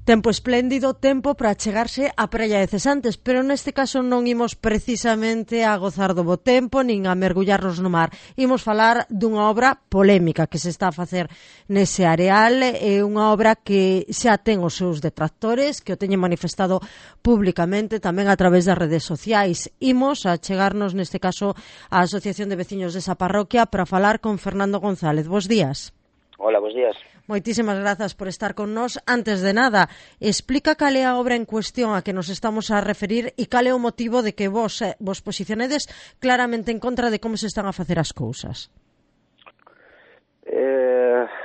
tempo espléndido, tempo para chegarse á praia de Cesantes, pero neste caso non imos precisamente a gozar do bo tempo nin a mergullarnos no mar. Imos falar dunha obra polémica que se está a facer nese areal, é unha obra que xa ten os seus detractores, que o teñen manifestado públicamente tamén a través das redes sociais. Imos a chegarnos neste caso á Asociación de Veciños desa parroquia para falar con Fernando González. Bos días. Hola, bos días. Moitísimas grazas por estar con nós. Antes de nada, explica cal é a obra en cuestión a que nos estamos a referir e cal é o motivo de que vos posicionedes claramente en contra de como se están a facer as cousas.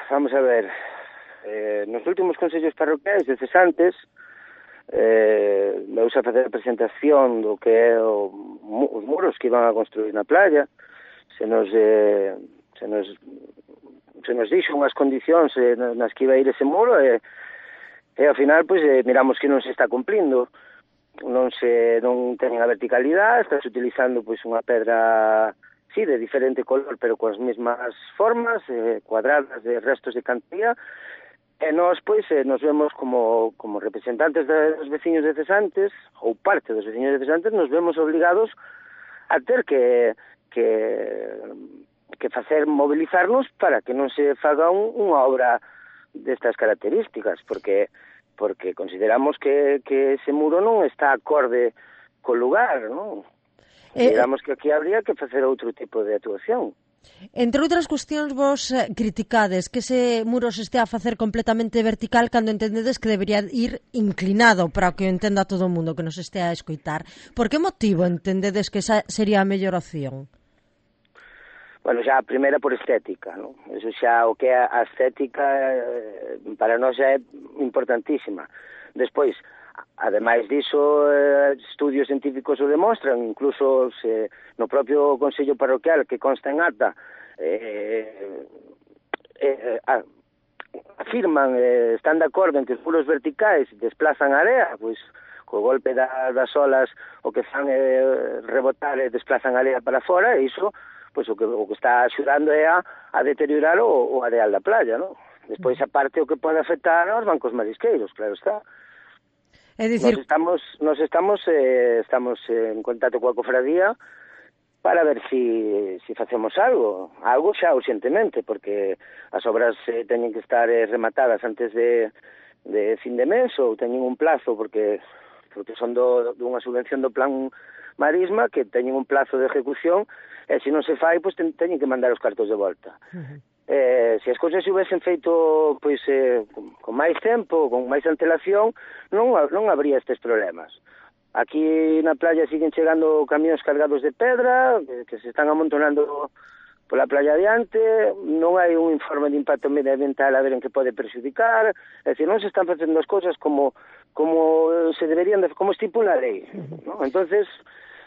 Vamos a ver, nos últimos consellos parroquiais de Cesantes veuse a facer a presentación do que é os muros que iban a construir na playa. Se nos dixo unhas condicións nas que iba a ir ese muro e ao final pois miramos que non se está cumplindo, non teñen a verticalidade, estás utilizando pois unha pedra sí, de diferente color pero coas mesmas formas cuadradas de restos de cantía, e nós pois nos vemos como representantes dos veciños de Cesantes ou parte dos veciños de Cesantes, nos vemos obligados a ter que facer mobilizarnos para que non se faga unha obra destas características, porque consideramos que ese muro non está acorde co lugar, non? Consideramos que aquí habría que facer outro tipo de actuación. Entre outras cuestións, vos criticades que ese muro se estea a facer completamente vertical cando entendedes que debería ir inclinado para que o entenda todo o mundo que nos estea a escoitar. Por que motivo entendedes que esa sería a mellor opción? Bueno, xa a primeira por estética, non? Eso xa o que é a estética para nós é importantísima. Despois, ademais diso, estudios científicos o demostran, incluso no propio Consello Parroquial que consta en acta, afirman, están de acordo en que os muros verticais desplazan a area, pois co golpe das olas o que fan rebotar e desplazan a area para fora, e iso pois o que está axudando é a deteriorar o areal da playa, non? Despois, aparte, o que pode afectar aos bancos marisqueiros, claro está. É dicir... Nos estamos en contacto coa cofradía para ver si facemos algo xa urxentemente, porque as obras teñen que estar rematadas antes de fin de mes, ou teñen un plazo, porque son dunha subvención do plan Marisma, que teñen un plazo de ejecución, e se non se fai, pois teñen que mandar os cartos de volta. Se as cousas se hubiesen feito pois con máis tempo, con máis antelación, non habría estes problemas. Aquí na playa siguen chegando camións cargados de pedra, que se están amontonando pola playa adiante, non hai un informe de impacto medioambiental a ver en que pode perxudicar, é dicir, non se están facendo as cousas como se deberían, como estipula a lei, non? Entonces,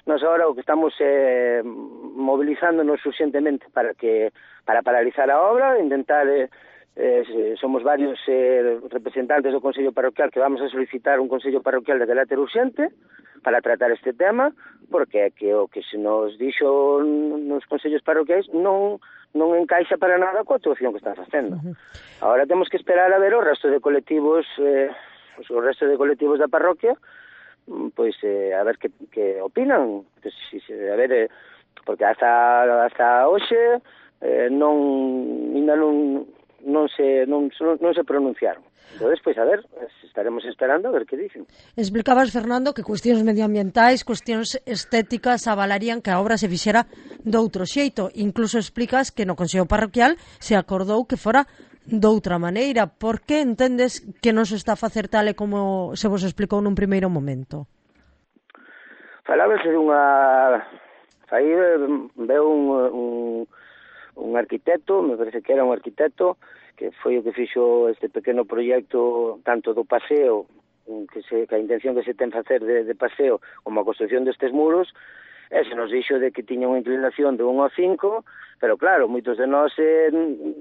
nós agora o que estamos mobilizándonos urxentemente para paralizar a obra, intentar, somos varios representantes do Consello Parroquial que vamos a solicitar un Consello Parroquial de carácter urxente para tratar este tema, porque é que o que se nos dixo nos Consellos Parroquiais non encaixa para nada coa actuación que están facendo. Agora temos que esperar a ver o resto de colectivos da parroquia, pois a ver que opinan, a ver, porque hasta hoxe non se pronunciaron. Entonces, pois a ver, estaremos esperando a ver que dicen. Explicabas, Fernando, que cuestións medioambientais, cuestións estéticas avalarían que a obra se fixera doutro xeito. Incluso explicas que no Consello Parroquial se acordou que fora doutra maneira. Por que entendes que non se está a facer tal e como se vos explicou nun primeiro momento? Falábase dunha... Aí veu un arquitecto, me parece que era un arquitecto, que foi o que fixo este pequeno proxecto tanto do paseo, que a intención que se ten facer de paseo, como a construcción destes muros, e se nos dixo de que tiña unha inclinación de 1 ao 5, pero claro, moitos de nós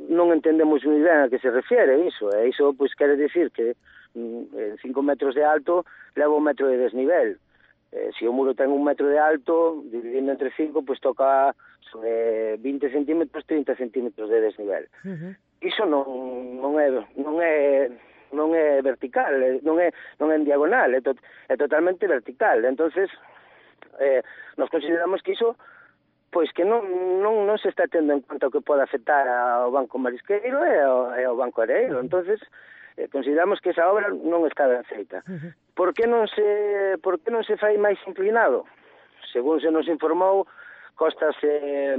non entendemos moi ben a que se refiere iso, e iso pois quere dicir que 5 metros de alto leva 1 metro de desnivel. Se o muro ten 1 metro de alto, dividindo entre 5, pois toca sobre 20 centímetros, 30 centímetros de desnivel. Iso non é non é vertical, non é en diagonal, é totalmente vertical. Entonces, nos consideramos que iso pois que non se está tendo en conta o que pode afectar ao Banco Marisqueiro e ao Banco Areeiro. Entonces, consideramos que esa obra non está ben feita. Por que non se fai máis inclinado? Según se nos informou, Costas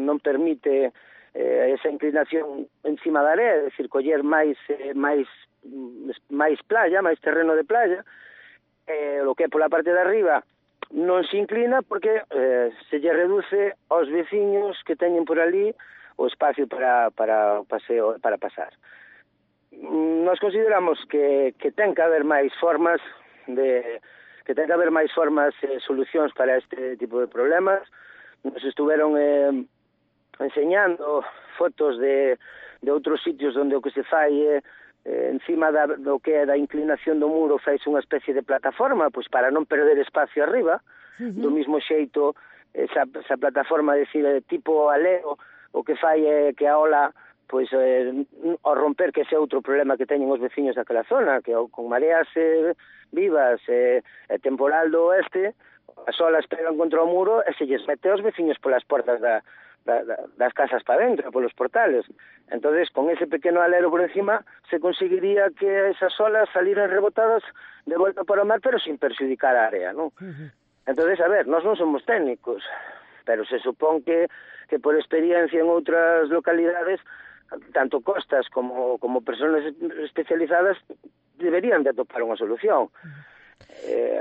non permite esa inclinación encima da area, é dicir, coller máis playa, máis terreno de playa, o que é pola parte de arriba non se inclina porque se lle reduce aos veciños que teñen por ali o espacio para paseo, para pasar. Nos consideramos que ten que haber máis formas solucións para este tipo de problemas. Nos estuveron enseñando fotos de outros sitios onde o que se fai encima do que é da inclinación do muro fais unha especie de plataforma, pois para non perder espacio arriba, do mismo xeito esa plataforma, decir, tipo aleo, o que fai é que a ola, pois ao romper, que ese outro problema que teñen os veciños daquela zona, que con mareas vivas e temporal do oeste, as olas pegan contra o muro e se lles mete aos veciños polas portas das casas para dentro, polos portales. Entonces, con ese pequeno alero por encima, se conseguiría que esas olas saliran rebotadas de volta para o mar, pero sin perxudicar a área, non? Entonces, a ver, nós non somos técnicos, pero se supón que por experiencia en outras localidades, tanto Costas como personas especializadas deberían de atopar unha solución.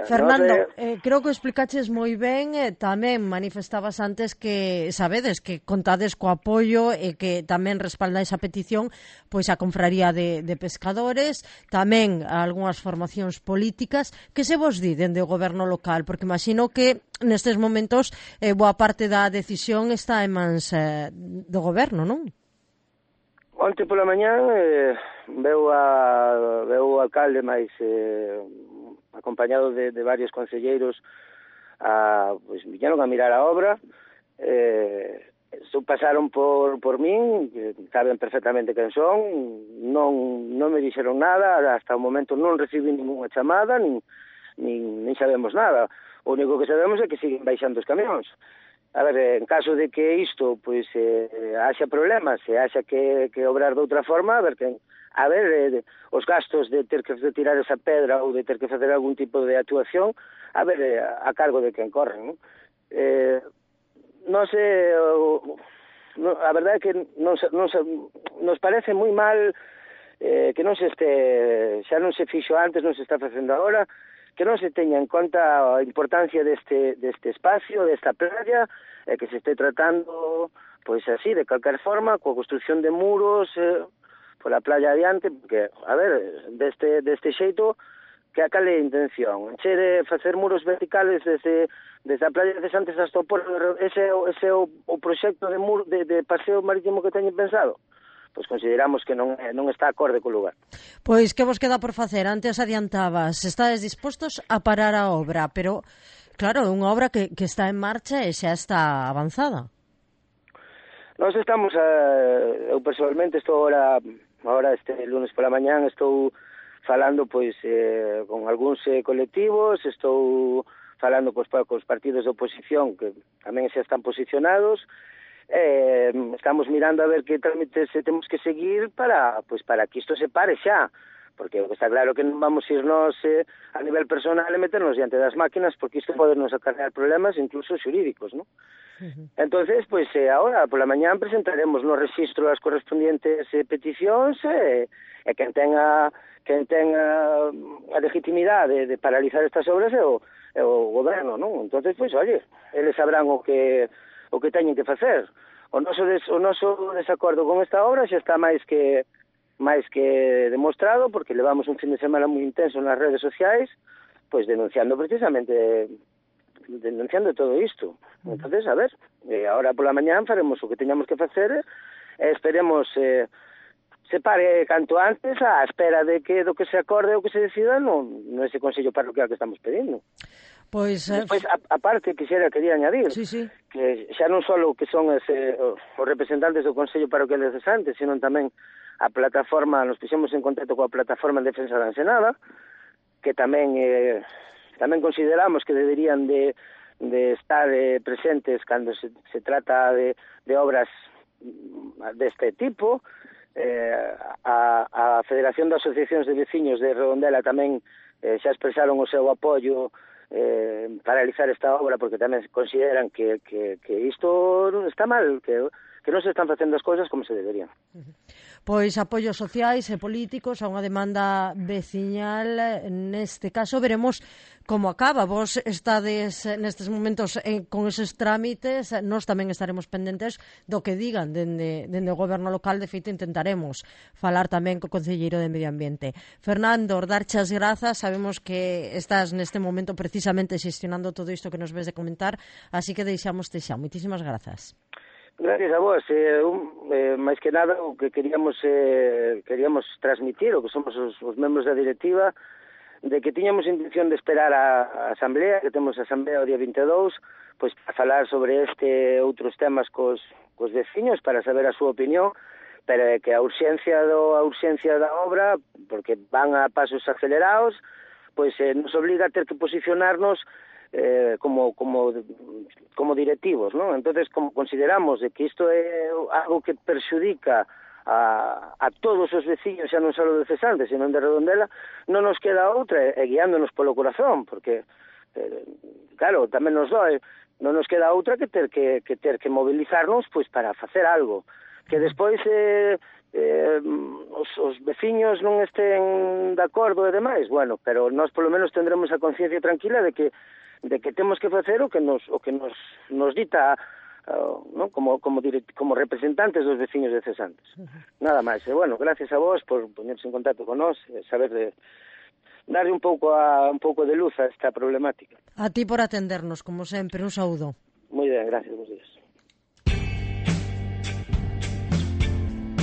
Fernando, creo que explicaches moi ben, tamén manifestabas antes que sabedes que contades co apoio e que tamén respalda esa petición pois a confraría de pescadores, tamén algunhas formacións políticas. Que se vos di dende o goberno local? Porque imagino que nestes momentos boa parte da decisión está en mans do goberno, non? Onte pola mañán veu o alcalde máis acompañado de varios concelleiros pois viñeron a mirar a obra, pasaron por min, que saben perfectamente quen son, non me dixeron nada, hasta o momento non recibí ninguna chamada, nin sabemos nada. O único que sabemos é que siguen baixando os camións. A ver, en caso de que isto pois haxa problemas, se haxa que obrar de outra forma, os gastos de ter que retirar esa pedra ou de ter que facer algún tipo de actuación, a cargo de quen corren, non? A verdade é que nos parece moi mal que non se xa non se fixo antes, non se está facendo agora, que non se teña en conta a importancia deste espacio, desta playa, que se este tratando, pois así, de calquer forma, coa construcción de muros pola playa adiante, porque, deste xeito, que a cal é a intención? Che de facer muros verticales desde a playa de Santes hasta o porto, ese é o proxecto de paseo marítimo que teñen pensado? Pois consideramos que non está acorde co lugar. Pois que vos queda por facer? Antes adiantabas, estades dispostos a parar a obra, pero claro, é unha obra que está en marcha e xa está avanzada. Nós estamos, eu personalmente estou agora este lunes pola mañán, estou falando pois con algúns colectivos, estou falando cos partidos de oposición que tamén xa están posicionados. Estamos mirando a ver que trámites temos que seguir para que isto se pare xa, porque está claro que non vamos ir nós a nivel personal e meternos diante das máquinas, porque isto pode nos acarrear problemas incluso xurídicos, non? Entonces, pois agora pola mañán presentaremos no registro as correspondientes peticións e quen tenga a legitimidade de paralizar estas obras é o goberno, non? Entonces, pois, oye, eles sabrán o que teñen que facer. O noso desacordo con esta obra xa está máis que demostrado, porque levamos un fin de semana moi intenso nas redes sociais, pois denunciando todo isto. Entonces, agora pola mañán faremos o que teñamos que facer e esperemos se pare canto antes á espera de que do que se acorde ou que se decida ese Consello Parroquial que estamos pedindo. Pois, despois, aparte, quería añadir que xa non só que son os representantes do Consello Parroquial de Santes, sino tamén a plataforma, nos puxemos en contacto coa plataforma en defensa da Ensenada, que tamén consideramos que deberían de estar presentes cando se trata de obras deste tipo. A Federación de Asociacións de Veciños de Redondela tamén xa expresaron o seu apoio para realizar esta obra, porque tamén consideran que isto está mal, que non se están facendo as cousas como se deberían. Pois apoios sociais e políticos a unha demanda veciñal. Neste caso veremos como acaba. Vos estades nestes momentos con eses trámites, nós tamén estaremos pendentes do que digan dende o goberno local. De feito, intentaremos falar tamén co concelleiro de Medio Ambiente. Fernando, darche as grazas, sabemos que estás neste momento precisamente xestionando todo isto que nos ves de comentar, así que deixamoste xa. Moitísimas grazas. Gracias a vos. Máis que nada, o que queríamos transmitir, o que somos os membros da directiva, de que tiñamos intención de esperar a asamblea, que temos a asamblea o día 22, pois para falar sobre outros temas cos veciños, para saber a súa opinión, pero que a urxencia da obra, porque van a pasos acelerados, pois nos obliga a ter que posicionarnos como directivos, ¿no? Entonces, como consideramos de que isto é algo que perxudica a todos os veciños, xa non só de Cesantes, sino de Redondela, non nos queda outra, guiándonos polo corazón, porque, claro, tamén nos doe, non nos queda outra que ter que mobilizarnos pois para facer algo. Que despois os veciños non estén de acordo e demais, bueno, pero nós polo menos tendremos a conciencia tranquila de que temos que facer o que nos dita, ¿no? como representantes dos veciños de Cesantes. Nada máis. E bueno, gracias a vos por ponerse en contacto con nós, saber de darle un pouco de luz a esta problemática. A ti por atendernos, como sempre, un saúdo. Moi ben, gracias.